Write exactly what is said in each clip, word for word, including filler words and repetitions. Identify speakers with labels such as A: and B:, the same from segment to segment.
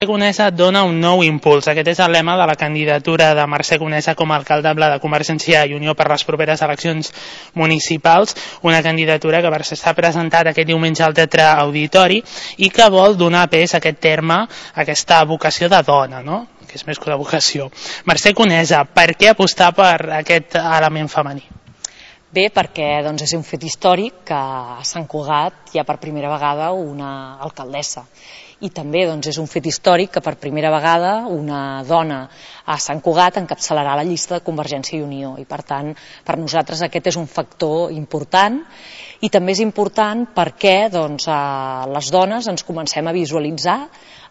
A: Conesa dona un nou impuls. Aquest és el lema de la candidatura de Mercè Conesa com a alcaldable de Convergència i Unió per les properes eleccions municipals, una candidatura que s'ha presentat aquest diumenge al Teatre Auditori i que vol donar pes a aquest terme, a aquesta vocació de dona, no? Que és més que una vocació. Mercè Conesa, per què apostar per aquest element femení?
B: Bé, perquè doncs, és un fet històric que a Sant Cugat hi ha per primera vegada una alcaldessa. I també doncs, és un fet històric que per primera vegada una dona a Sant Cugat encapçalarà la llista de Convergència i Unió. I per tant, per nosaltres aquest és un factor important i també és important perquè doncs, les dones ens comencem a visualitzar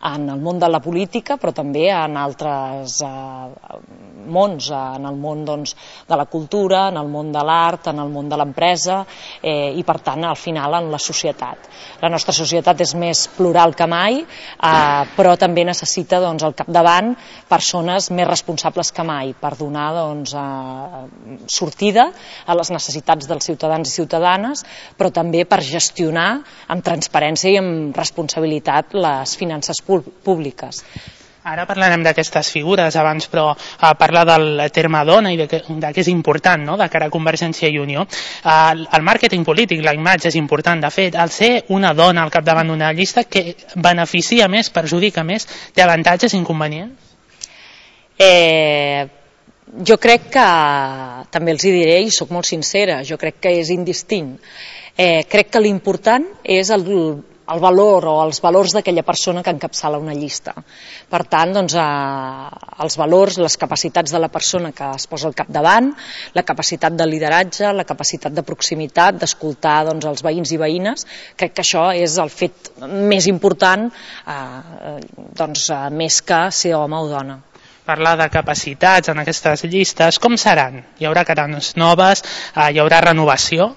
B: en el món de la política, però també en altres eh, mons, en el món doncs, de la cultura, en el món de l'art, en el món de l'empresa eh, i per tant al final en la societat. La nostra societat és més plural que mai, eh, però també necessita doncs, al capdavant persones més responsables que mai per donar doncs, eh, sortida a les necessitats dels ciutadans i ciutadanes, però també per gestionar amb transparència i amb responsabilitat les finances públiques.
A: Ara parlarem d'aquestes figures abans, però eh, parla del terme dona i de que, de que és important, no?, de cara a Convergència i Unió. Eh, el màrqueting polític, la imatge és important. De fet, el ser una dona al capdavant d'una llista que beneficia més, perjudica més, té avantatges i inconvenients?
B: Eh... Jo crec que, també els hi diré i sóc molt sincera, jo crec que és indistint. Eh, crec que l'important és el, el valor o els valors d'aquella persona que encapçala una llista. Per tant, doncs, eh, els valors, les capacitats de la persona que es posa al capdavant, la capacitat de lideratge, la capacitat de proximitat, d'escoltar doncs, els veïns i veïnes, crec que això és el fet més important, eh, doncs, eh, més que ser home o dona.
A: Parlar de capacitats en aquestes llistes, com seran? Hi haurà cares noves, eh, hi haurà renovació?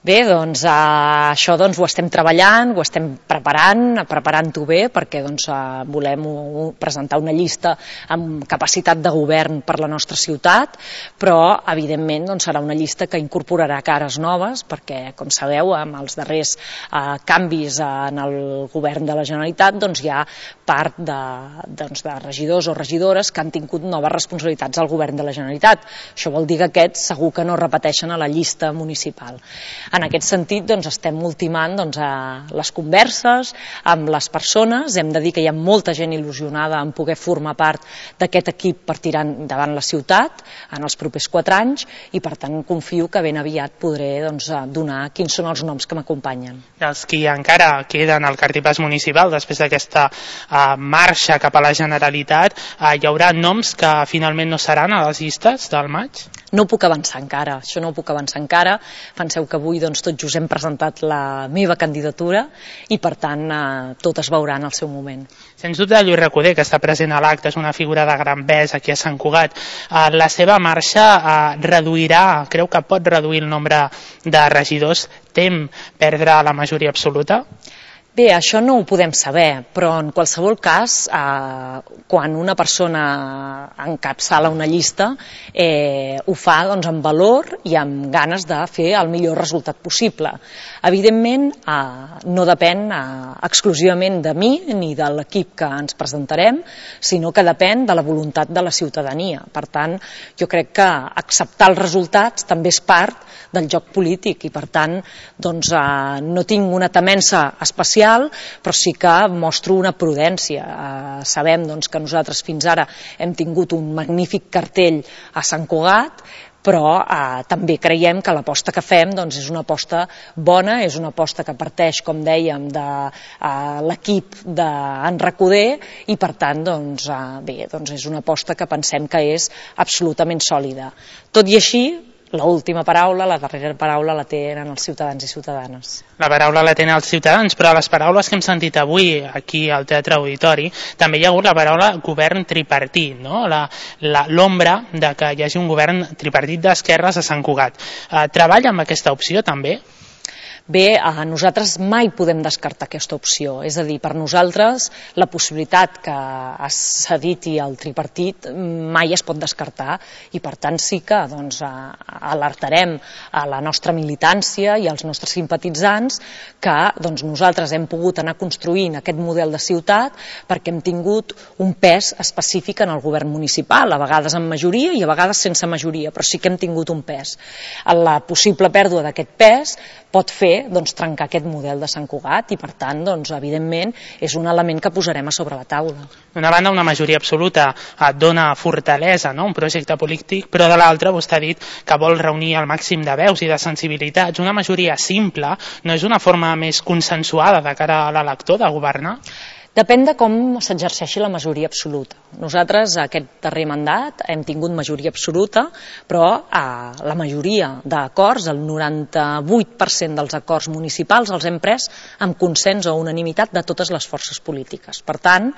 B: Bé, doncs eh, això doncs, ho estem treballant, ho estem preparant, preparant-ho bé, perquè doncs, eh, volem uh, presentar una llista amb capacitat de govern per la nostra ciutat, però evidentment doncs, serà una llista que incorporarà cares noves, perquè com sabeu amb els darrers eh, canvis en el govern de la Generalitat doncs, hi ha part de, doncs, de regidors o regidores que han tingut noves responsabilitats al govern de la Generalitat. Això vol dir que aquests segur que no repeteixen a la llista municipal. En aquest sentit, doncs, estem ultimant doncs, les converses amb les persones. Hem de dir que hi ha molta gent il·lusionada en poder formar part d'aquest equip per tirar endavant la ciutat en els propers quatre anys i, per tant, confio que ben aviat podré doncs, donar quins són els noms que m'acompanyen.
A: Els qui encara queden al cartipàs municipal, després d'aquesta uh, marxa cap a la Generalitat, uh, hi haurà noms que finalment no seran a les llistes del maig?
B: No puc avançar encara, això no ho puc avançar encara. Penseu que avui doncs, tot just hem presentat la meva candidatura i per tant eh, tot es veurà en el seu moment.
A: Sens dubte Lluís Recoder, que està present a l'acte, és una figura de gran pes aquí a Sant Cugat. Eh, la seva marxa eh, reduirà, creu que pot reduir el nombre de regidors, tem perdre la majoria absoluta?
B: Bé, això no ho podem saber, però en qualsevol cas, eh, quan una persona encapçala una llista, eh, ho fa doncs, amb valor i amb ganes de fer el millor resultat possible. Evidentment, eh, no depèn eh, exclusivament de mi ni de l'equip que ens presentarem, sinó que depèn de la voluntat de la ciutadania. Per tant, jo crec que acceptar els resultats també és part del joc polític i, per tant, doncs, eh, no tinc una temença especial, però sí que mostro una prudència. Eh, sabem doncs, que nosaltres fins ara hem tingut un magnífic cartell a Sant Cugat, però eh, també creiem que l'aposta que fem doncs, és una aposta bona, és una aposta que parteix, com dèiem, de eh, l'equip d'en Recoder i per tant doncs, eh, bé, doncs és una aposta que pensem que és absolutament sòlida. Tot i així, l'última paraula, la darrera paraula la tenen els ciutadans i ciutadanes.
A: La paraula la tenen els ciutadans, però les paraules que hem sentit avui aquí al Teatre Auditori també hi ha hagut la paraula govern tripartit, no? L'ombra de que hi hagi un govern tripartit d'esquerres a Sant Cugat. Eh, treballa amb aquesta opció també?
B: Bé, a nosaltres mai podem descartar aquesta opció, és a dir, per nosaltres la possibilitat que s'ha dit i el tripartit mai es pot descartar i per tant sí que doncs, alertarem a la nostra militància i als nostres simpatitzants que doncs, nosaltres hem pogut anar construint aquest model de ciutat perquè hem tingut un pes específic en el govern municipal, a vegades amb majoria i a vegades sense majoria, però sí que hem tingut un pes. La possible pèrdua d'aquest pes pot fer doncs, trencar aquest model de Sant Cugat i per tant, doncs, evidentment, és un element que posarem a sobre la taula.
A: D'una banda, una majoria absoluta et dona fortalesa, no? Un projecte polític, però de l'altra vostè ha dit que vol reunir el màxim de veus i de sensibilitats. Una majoria simple no és una forma més consensuada de cara a l'elector de governar?
B: Depèn de com s'exerceixi la majoria absoluta. Nosaltres, aquest darrer mandat, hem tingut majoria absoluta, però eh, la majoria d'acords, el noranta-vuit per cent dels acords municipals, els hem pres amb consens o unanimitat de totes les forces polítiques. Per tant,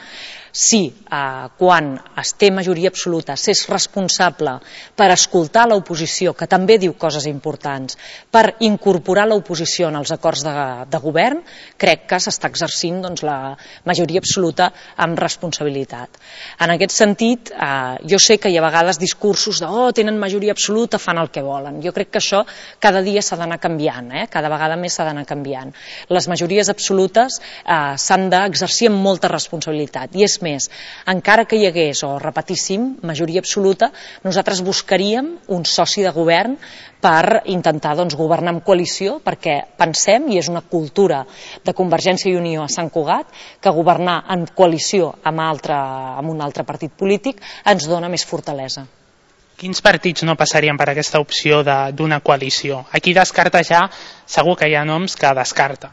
B: si eh, quan es té majoria absoluta s'és responsable per escoltar l'oposició, que també diu coses importants, per incorporar l'oposició en els acords de, de govern, crec que s'està exercint doncs, la majoria absoluta amb responsabilitat. En aquest sentit, eh, jo sé que hi ha a vegades discursos de oh, tenen majoria absoluta, fan el que volen. Jo crec que això cada dia s'ha d'anar canviant, eh? Cada vegada més s'ha d'anar canviant. Les majories absolutes eh, s'han d'exercir amb molta responsabilitat. I és més, encara que hi hagués, o repetíssim, majoria absoluta, nosaltres buscaríem un soci de govern per intentar doncs, governar en coalició, perquè pensem, i és una cultura de Convergència i Unió a Sant Cugat, que governar en coalició amb, altre, amb un altre partit polític ens dona més fortalesa.
A: Quins partits no passarien per aquesta opció d'una coalició? Aquí descarta ja, segur que hi ha noms que descarta.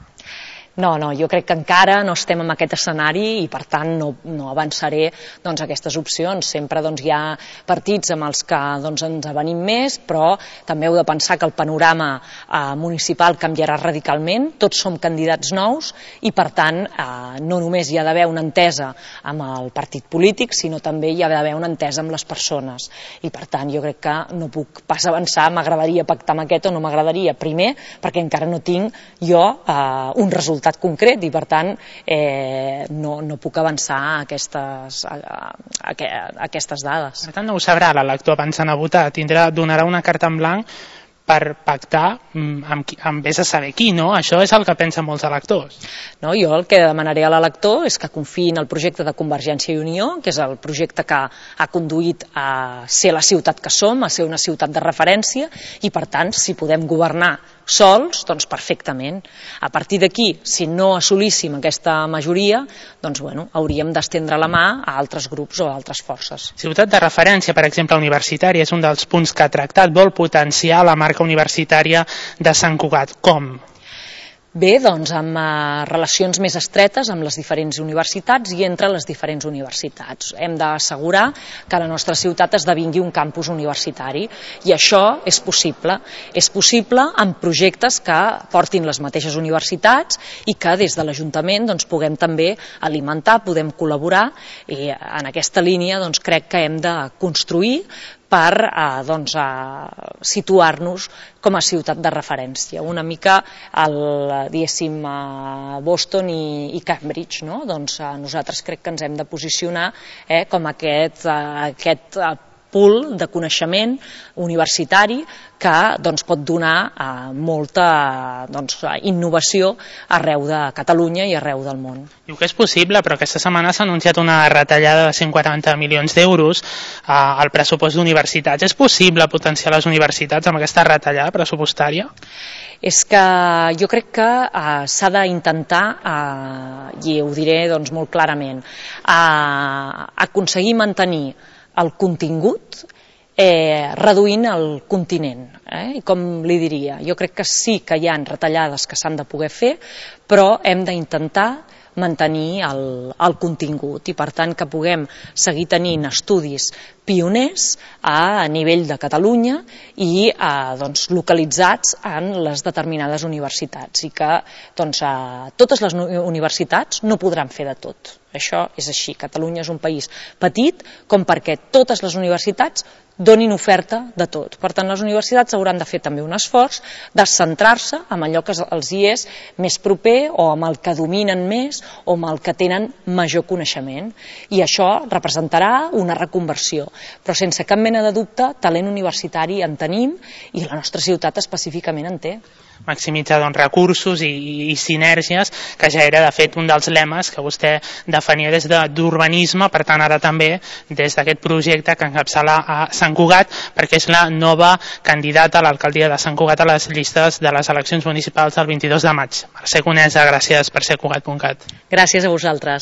B: No, no, jo crec que encara no estem en aquest escenari i per tant no, no avançaré doncs, aquestes opcions. Sempre doncs, hi ha partits amb els que doncs, ens avenim més, però també heu de pensar que el panorama eh, municipal canviarà radicalment, tots som candidats nous i per tant eh, no només hi ha d'haver una entesa amb el partit polític, sinó també hi ha d'haver una entesa amb les persones. I per tant jo crec que no puc pas avançar, m'agradaria pactar amb aquest o no m'agradaria. Primer, perquè encara no tinc jo eh, un resultat concret i per tant eh, no, no puc avançar a aquestes, a, a, a aquestes dades.
A: Per tant no ho sabrà l'elector abans d'anar a votar, tindrà, donarà una carta en blanc per pactar amb, qui, amb vés a saber qui, no? Això és el que pensen molts electors.
B: No, jo el que demanaré a l'elector és que confiï en el projecte de Convergència i Unió, que és el projecte que ha conduït a ser la ciutat que som, a ser una ciutat de referència, i per tant, si podem governar sols, doncs perfectament. A partir d'aquí, si no assolíssim aquesta majoria, doncs bueno, hauríem d'estendre la mà a altres grups o a altres forces.
A: Ciutat de referència, per exemple, universitària, és un dels punts que ha tractat, vol potenciar la marca universitària de Sant Cugat. Com?
B: Bé, doncs amb eh, relacions més estretes amb les diferents universitats i entre les diferents universitats. Hem d'assegurar que la nostra ciutat esdevingui un campus universitari i això és possible. És possible amb projectes que portin les mateixes universitats i que des de l'Ajuntament doncs, puguem també alimentar, podem col·laborar i en aquesta línia doncs, crec que hem de construir per eh, doncs, eh, situar-nos com a ciutat de referència, una mica el, diguéssim, eh, Boston i, i Cambridge, no? Doncs eh, nosaltres crec que ens hem de posicionar eh, com aquest, eh, aquest eh, pool de coneixement universitari que doncs, pot donar eh, molta doncs, innovació arreu de Catalunya i arreu del món.
A: Diu que és possible, però aquesta setmana s'ha anunciat una retallada de cent quaranta milions d'euros eh, al pressupost d'universitats. És possible potenciar les universitats amb aquesta retallada pressupostària?
B: És que jo crec que eh, s'ha d'intentar, eh, i ho diré doncs, molt clarament, eh, aconseguir mantenir el contingut eh, reduint el continent. Eh? I com li diria, jo crec que sí que hi ha retallades que s'han de poder fer, però hem d'intentar mantenir el, el contingut i per tant que puguem seguir tenint estudis pioners a nivell de Catalunya i eh, doncs, localitzats en les determinades universitats i que doncs, eh, totes les universitats no podran fer de tot. Això és així. Catalunya és un país petit com perquè totes les universitats donin oferta de tot. Per tant, les universitats hauran de fer també un esforç de centrar-se en allò que els hi és més proper o amb el que dominen més o amb el que tenen major coneixement. I això representarà una reconversió. Però sense cap mena de dubte, talent universitari en tenim i la nostra ciutat específicament en té.
A: Maximitzar doncs, recursos i, i sinergies, que ja era de fet un dels lemes que vostè defenia des d'urbanisme, per tant ara també des d'aquest projecte que encapçala a Sant Cugat, perquè és la nova candidata a l'alcaldia de Sant Cugat a les llistes de les eleccions municipals del vint-i-dos de maig. Mercè Conesa, gràcies per ser Cugat punt cat.
B: Gràcies a vosaltres.